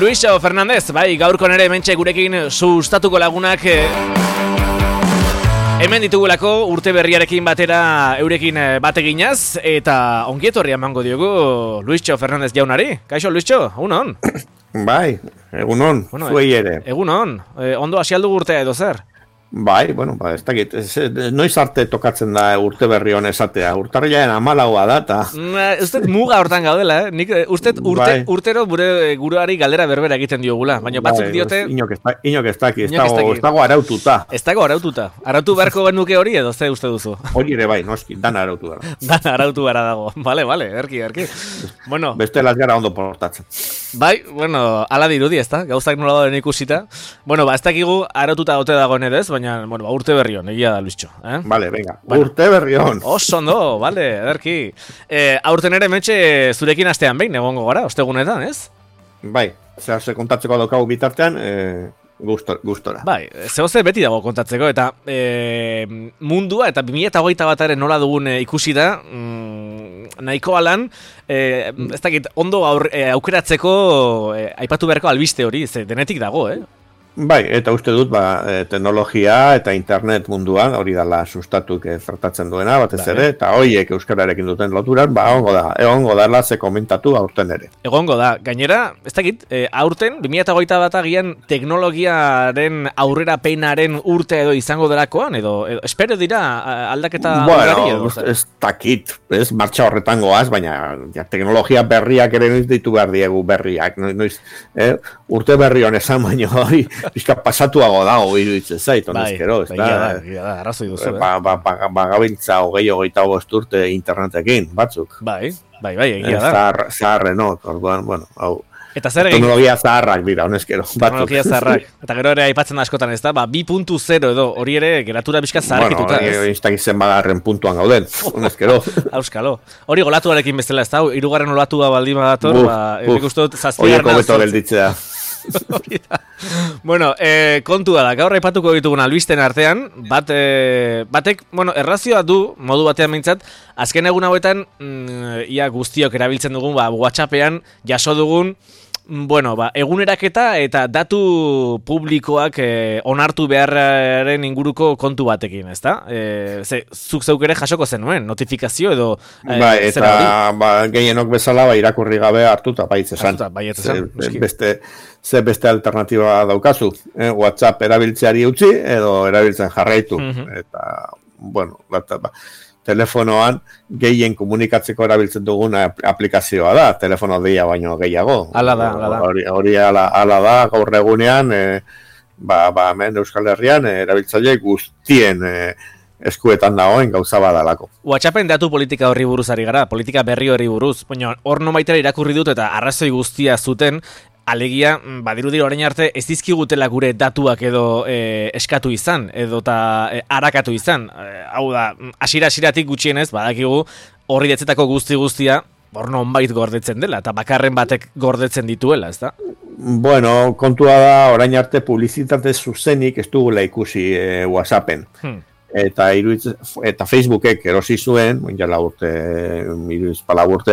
Luisxo Fernandez, bai, gaurko nere hementxe gurekin sustatuko lagunak hemen ditugulako urte berriarekin batera eurekin bateginaz, eta ongietorria emango diogu Luisxo Fernandez jaunari. Kaixo, Luisxo, egunon? Bai, egunon, zuei ere. Egunon, ondo hasi aldugu urtea edo zer? Bai, bueno, ez dakit, noiz arte tokatzen da urte berri hon esatea, urtarriaren 14a da, eta... Usted muga hortan gaudela, nik usted urtero guruari galdera berbera egiten diogula, baina batzuk diote... Inok ez daki, ez dago araututa. Ez dago araututa, arautu beharko genuke hori edo ze uste duzu? Hori ere bai, noski, dana arautu gara. Dana arautu gara dago, bale, erki. Bueno... Beste las gara ondo portatzen. Bai, bueno, ala dirudi, ezta? Gauzak nola dauden ikusita. Bueno, ez dakigu araututa ote dagoen edez, baina, bueno, urte berrion, egia da, Luisxo. Vale, venga, urte berrion. Oso ondo, vale, ederki. Aurten ere metxe zurekin astean behin, egongo gara, ostegunetan, ez? Bai, ze kontatzeko daukagu bitartean, gustora. Bai, zehoze beti dago kontatzeko, eta mundua, eta 2021 nola dugun ikusi da, nahiko alan, ez dakit, ondo aukeratzeko aipatu beharko albiste hori, ze denetik dago, Bai, eta uste dut, teknologia eta internet munduan, hori dala sustatuk zertatzen duena, batez ere, eta horiek euskararekin duten loturan, egongo da ze komentatu aurten ere. Egongo da, gainera, ez dakit, aurten, 2021 agian teknologiaren aurrera peinaren urte edo izango delakoan, edo espero dira aldaketa ugari edo? Bueno, ez dakit, ez martxa horretan goaz, baina teknologia berriak ere noiz ditu behar diegu berriak, urte berri honezan, baina hori, bizka pasatuago dago iruditzen zait, honezkero, ez da? Da, arrazoi duzu, Bagabintza 20-25 urte internetekin, batzuk. Bai, egia da. Zaharrenok, orduan, bueno, hau. Eta zer egin? Teknologia zaharrak dira, honezkero. Teknologia zaharrak. Eta gero ere aipatzen askotan, ez da? 2.0 edo, hori ere, geratura bizka zaharkituta. Bueno, instagizen bagarren puntuan gauden, honezkero. Auskalo. Hori golatuarekin bezala, ez da? 3. olatua baldin badator, ikustut Oieko beto gelditzea. Bueno, kontua da, gaur aipatuko ditugun albisten artean, batek, bueno, errazioa du, modu batean mintzat, azken egun hauetan, ia guztiok erabiltzen dugun, WhatsAppean jaso dugun, bueno, eguneraketa eta datu publikoak onartu beharraren inguruko kontu batekin, ezta? Zuk zeuk ere jasoko zenuen, notifikazio edo... eta gehienok bezala irakurri gabe hartuta baiz esan. Beste alternatiba daukazu. WhatsApp erabiltzeari utzi edo erabiltzen jarraitu. Eta, bueno, telefonoan gehien komunikatzeko erabiltzen dugun aplikazioa da, telefono deia baino gehiago. Hala da. Hori ala da, gaur egunean, hemen Euskal Herrian, erabiltzaile guztien eskuetan dagoen gauza badalako. WhatsAppen datu politika horri buruz ari gara, politika berri horri buruz, baina hor nomaitera irakurri dut eta arrazoi guztia zuten, alegia, badirudi orain arte ez dizkigutela gure datuak edo eskatu izan, edo harakatu izan. Hau da, hasieratik gutxienez, badakigu horri detzetako guztia, hor nonbait gordetzen dela, eta bakarren batek gordetzen dituela, ez da? Bueno, kontua da, orain arte publizitate zuzenik ez dugula ikusi WhatsAppen. Eta Facebookek erosi zuen, jala urte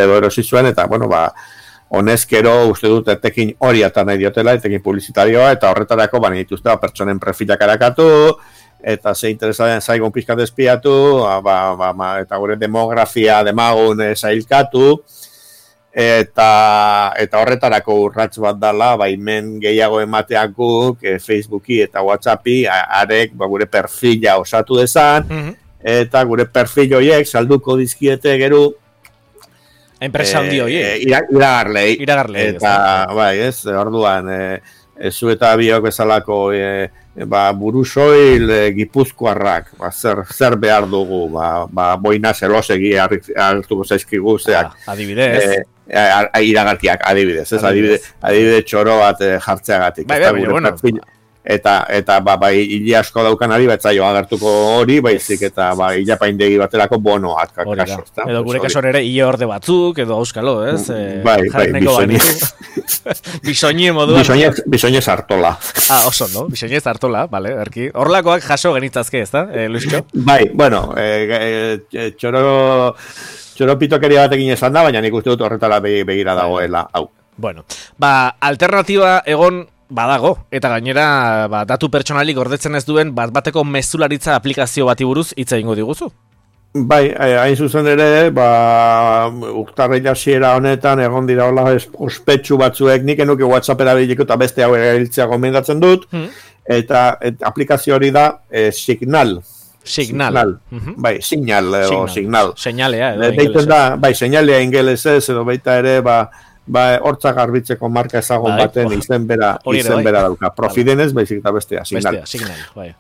edo erosi zuen, eta, bueno, honezkero uste dut etekin hori eta nahi diotela, etekin publizitarioa, eta horretarako bani dituzte pertsonen profilak arakatu, eta ze interesatzen zaigun pizkat espiatu, eta gure demografia demagun zailkatu, eta horretarako urrats bat dala, baimen gehiago emateakuk Facebooki eta Whatsappi, arek gure perfila osatu dezan, eta gure perfil horiek salduko dizkiete gero, enpresa handi hori. Iragarlei. Eta, bai, ez, orduan, zu eta biok bezalako burusoil gipuzkoarrak, zer behar dugu, boina zelosegi hartuko zaizkigu, zeak. Adibidez. Iragarkiak, adibidez, ez, adibidez txoro bat jartzeagatik. Bai, eta hile asko daukanari batzaio agertuko hori, baizik eta hilapaindegi baterako bonoak kaso. Edo gure kaso ere hile orde batzuk, edo auskalo, ez? Bai, bisoñe modua. Bisoñez hartola. Oso, no? Bisoñez hartola, vale, erki. Horlakoak jaso genitzazke, ez da, Luisxo? Bai, bueno, txoro pitokeria batekin esan da, baina nik uste dut horretara begira dagoela, hau. Bueno, alternatiba egon badago, eta gainera datu pertsonalik gordetzen ez duen bateko mezularitza aplikazio bati buruz hitz egingo diguzu. Bai, hain zuzen ere, urtarrila hasiera honetan egon dira hola ospetsu batzuek, nik enuke WhatsApp erabiliko eta beste hau erabiltzea gomendatzen dut, eta aplikazio hori da Signal. Signal. Bai, Signal o Signal. Señalea edo ingelesez. Bai, señalea ingelesez edo baita ere, hortza garbitzeko marka ezagun baten izen bera dauka. Profidenez, baizik eta bestea, Signal. Signal, bai.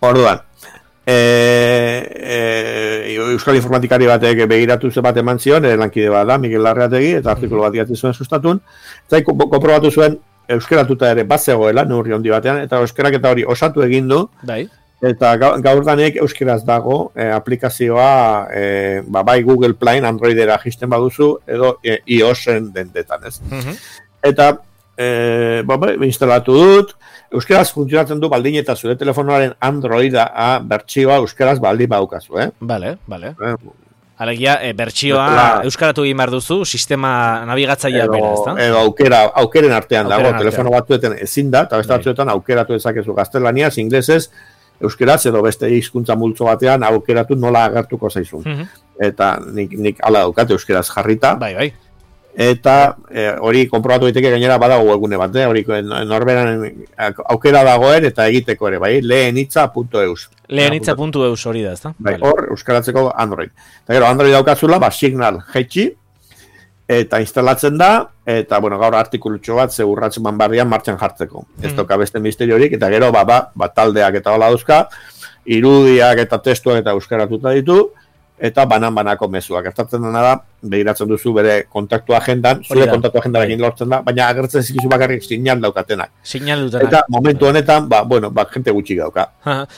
Orduan, Euskal Informatikari batek begiratu ze bat eman zion, lankide bat da, Miguel Larreategi, eta artikulu bat idatzi zuen sustatun, eta konprobatu zuen euskeratuta ere bat zegoela, neurri handi batean, eta euskerak eta hori osatu egin du, eta gaur danek euskeraz dago aplikazioa bai Google Play Androidera jisten baduzu, edo iOSen dendetan, ez? Eta instalatu dut, euskeraz funtzionatzen du baldin eta zure telefonoaren Androida bertsioa euskeraz baldin badukazu, Bale. Alegia, bertsioa euskaratu egin behar duzu, sistema nabigatzailea bera, ezta? Edo aukeren artean dago, telefono batzuetan ezin da, eta beste batzuetan aukeratu dezakezu gaztelaniaz, inglesez, euskeraz edo beste hizkuntza multzo batean aukeratu nola agertuko zaizun. Eta nik ala daukate euskeraz jarrita. Bai. Eta hori konprobatu daiteke gainera badago webgune bat, hori norberan aukera dagoen eta egiteko ere, bai, lehenitza.eus. Lehenitza.eus hori da, ezta? Bai, hor euskaratzeko Android. Eta gero Android daukazula, Signal jaitsi, eta instalatzen da, eta gaur artikulutxo bat ze urratzen manbarrian martxan jartzeko. Ez toka beste misteriorik, eta gero taldeak eta hola dauzka, irudiak eta testuak eta euskaratuta ditu, eta banan-banako mezuak. Gertatzen dena da, begiratzen duzu bere kontaktu agendan, zure kontaktu agendarekin lortzen da, baina agertzen zikizu bakarrik signal daukatenak. Eta momentu honetan, jente gutxi dauka.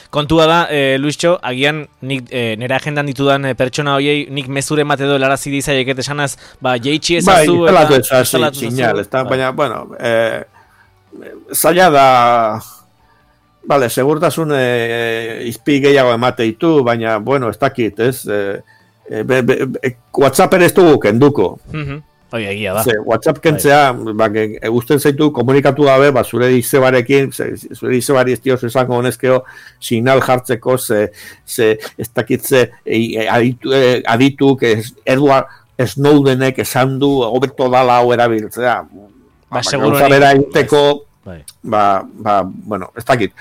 Kontua da, Luisxo, agian nik nire agendan ditudan pertsona horiei, nik mezuren bat edo larazi dizaieket esanaz, jeitsi ezazu eta instalatu signal, baina, zaila da... Bale, segurtasun izpi gehiago emate ditu, baina, ez dakit, ez? WhatsApp ere ez dugu kenduko. Hoi, egia da. WhatsApp kentzea, guzten zaitu komunikatu gabe, zure izebarekin, zure izebari ez dioz esango honezkeo, signal jartzeko, ez dakit adituk, Edward Snowdenek esan du, hobeto dala hau erabiltzea. Gauza bera egiteko, ez dakit.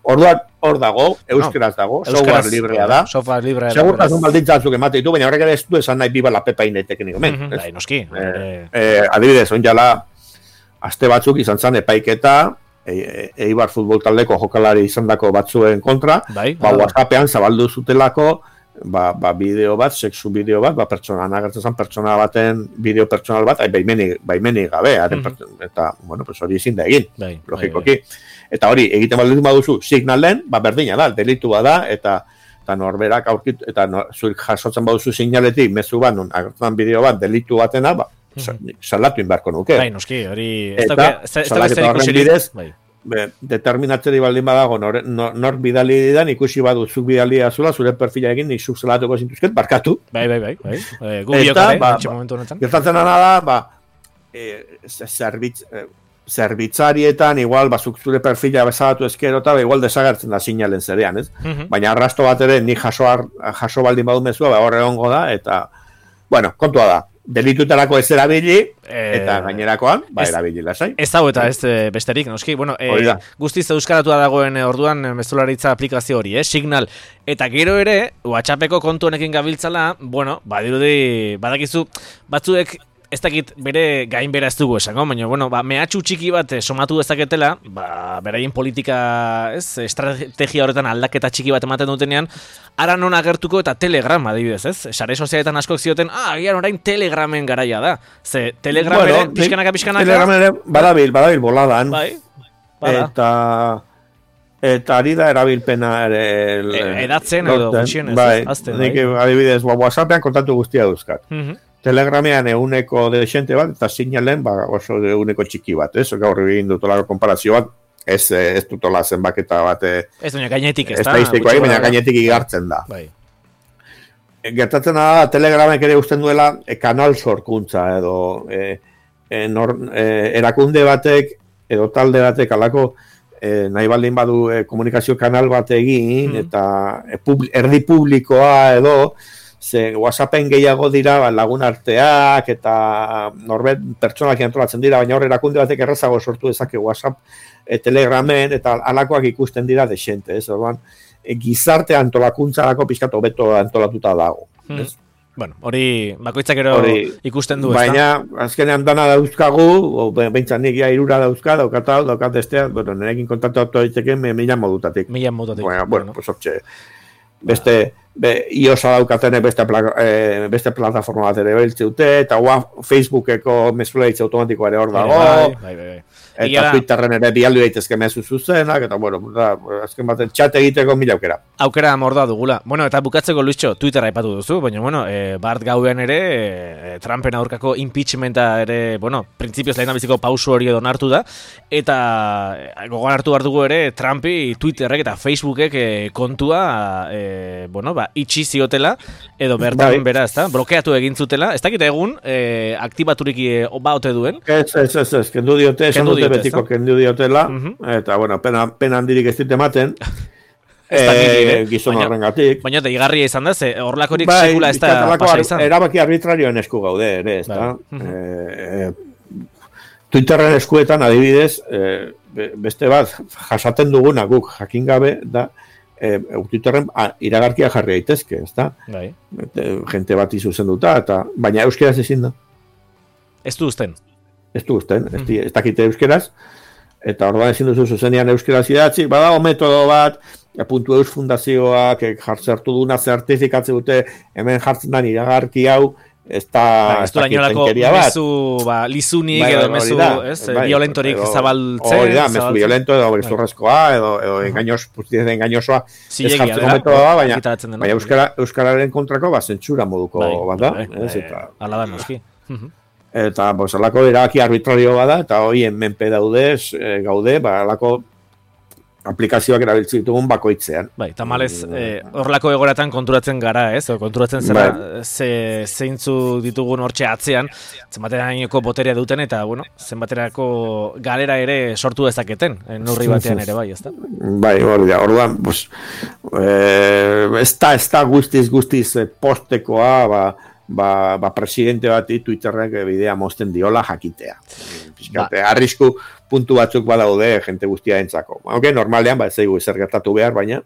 Orduan, hor dago, euskeraz dago, software librea da. Segurtasun baldintzatzuk emate ditu, baina horrek ere ez du esan nahi biba lapepa inetekin ikomen. Noski. Adibidez, onjala, aste batzuk izan zen epaiketa, Eibar futbol taldeko jokalari izan dako batzuen kontra, WhatsAppean zabaldu zutelako, bideo bat, sexu bideo bat, pertsona agertzen zen, pertsona baten bideo pertsonal bat, baimenik gabe, eta, hori ezin da egin, logikoki. Eta hori, egiten baldin baduzu, signalen, berdina da, delitua da, eta norberak aurkitu, eta zuik jasotzen baduzu signaletik, mezu bat, agertzen bideo bat, delitu batena, salatu inbarko nuke. Bai, noski, hori... Eta, salaketa horren bidez, determinatzeri baldin badago, nor bidali didan, ikusi baduzuk bidali azula, zure perfila egin, nik zuk salatuko zintuzket, barkatu. Bai. Eta, gertatzen da, zerbitzarietan, igual, zuk zure perfila bezalatu ezkero, eta igual desagertzen da signalen zerean, ez? Baina arrasto bat ere, nik jaso baldin badu mezua, horre egongo da, eta, kontua da, delitutarako ez erabili, eta gainerakoan, erabili lasai. Ez dago eta ez besterik, noski, guztiz euskaratua dagoen orduan mezularitza aplikazio hori, Signal, eta gero ere, WhatsAppeko kontu honekin gabiltzala, badirudi, badakizu, batzuek, ez dakit bere gain bera ez dugu esango, baina, mehatxu txiki bat somatu dezaketela, beraien politika, estrategia horretan aldaketa txiki bat ematen dutenean, ara non agertuko eta Telegram, adibidez, ez? Sare sozialetan askok zioten, agian orain Telegramen garaia da. Ze, Telegram ere, pixkanaka. Telegram ere, badabil boladan. Eta ari da erabilpena ere... Edatzen edo gutxien, ez? Nik, adibidez, WhatsAppean kontatu guztia duzkat. Telegramean eguneko desente bat, eta signalen oso eguneko txiki bat, ez? Gaur egin dutolako konparazio bat, ez dutola zenbaketa bat... Ez duena gainetik, ez da? Baina gainetik igartzen da. Gertatzen da, Telegramek ere usten duela kanal sorkuntza, edo erakunde batek edo talde batek alako nahi baldin badu komunikazio kanal bat egin eta erdi publikoa edo ze WhatsAppen gehiago dira lagun arteak eta norbet pertsonak antolatzen dira, baina hor erakunde batek errazago sortu dezake WhatsApp, Telegramen eta alakoak ikusten dira desente, ez? Orduan, gizarte antolakuntzarako pizkat hobeto antolatuta dago. Ez? Bueno, hori bakoitzak ero ikusten du, baina, azkenean dana dauzkagu, behintzat nik ja 3 dauzka, daukat estea, bueno, nerekin kontaktatu daiteke 1000 modutatik. 1000 modutatik. Bueno, pues hortxe, beste iOS-a daukatenek beste plataforma bat ere beltze dute, eta Facebookeko mezulaitze automatikoa ere hor dago, eta Twitterren ere bialdu daitezke mezu zuzenak, eta bueno, azken baten chat egiteko 1000 aukera. Aukera morda dugula. Bueno, eta bukatzeko Luischo, Twitter aipatu duzu, baina bueno, bart gauean ere, Trumpen aurkako impeachmenta ere, bueno, printzipioz lehendabiziko pausu hori edo hartu da, eta gogoan hartu behar dugu ere, Trumpi Twitterrek eta Facebookek kontua, bueno, itxi ziotela, edo bertan bera, ezta? Blokeatu egin zutela. Ez dakit egun, aktibaturik ote duen? Ez, kendu diote, esan dute betiko kendu diotela, eta, bueno, pena handirik ez dite ematen, gizon horrengatik. Baina deigarria izan da, ze horlakorik sekula ez da pasa izan. Erabaki arbitrarioen esku gaude, ere, ez da? Twitterren eskuetan, adibidez, beste bat, jasaten duguna guk jakin gabe, da, Twitterren iragarkia jarri daitezke, ezta? Gente bat izuzenduta, baina euskeraz ezin da. Ez du uzten. Ez dakite euskeraz, eta orduan ezin duzu zuzenean euskeraz idatzi, badago metodo bat, .eus fundazioak jartzertu duna zertifikatze dute, hemen jartzen da iragarki hau, ez da tenkeria bat. Mezu lizunik edo mezu violentorik zabaltzen. Hori da, mezu violento edo bezurrezkoa edo engañosoa ez jartzeko metodoa, baina euskararen kontrako zentsura moduko bat da. Ala da noski. Eta alako erabaki arbitrario bada, eta horien menpe gaude, alako aplikazioak erabiltzen ditugun bakoitzean. Bai, tamalez, horrelako egoratan konturatzen gara, ez? Konturatzen zera zeintzu ditugun hortxe atzean, zenbaterainoko boterea duten, eta, bueno, zenbaterako galera ere sortu dezaketen, neurri batean ere bai, ez da? Bai, orduan, pues, ez da guztiz postekoa, presidente bati Twitterrek bidea mozten diola jakitea. Arrisku puntu batzuk badaude jente guztia entzako. Aunque normalean, ez zaigu ezer gertatu behar, baina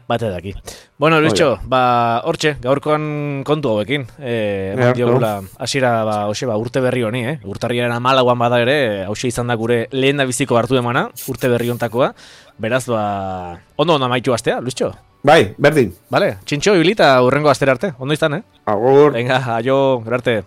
bate daki. Bueno, Luischo, hortxe, gaurkoan kontu hauekin. Hasiera urte berri honi, urtarriaren 14an bada ere, hauxe izan da gure lehen da biziko hartu emana, urte berri hontakoa. Beraz, ondo amaitu astea, Luischo? Bai, berdin. Vale, txintxo, ibilita urrengo astera arte. Ondo izan, Agur. Venga, aio, gerarte.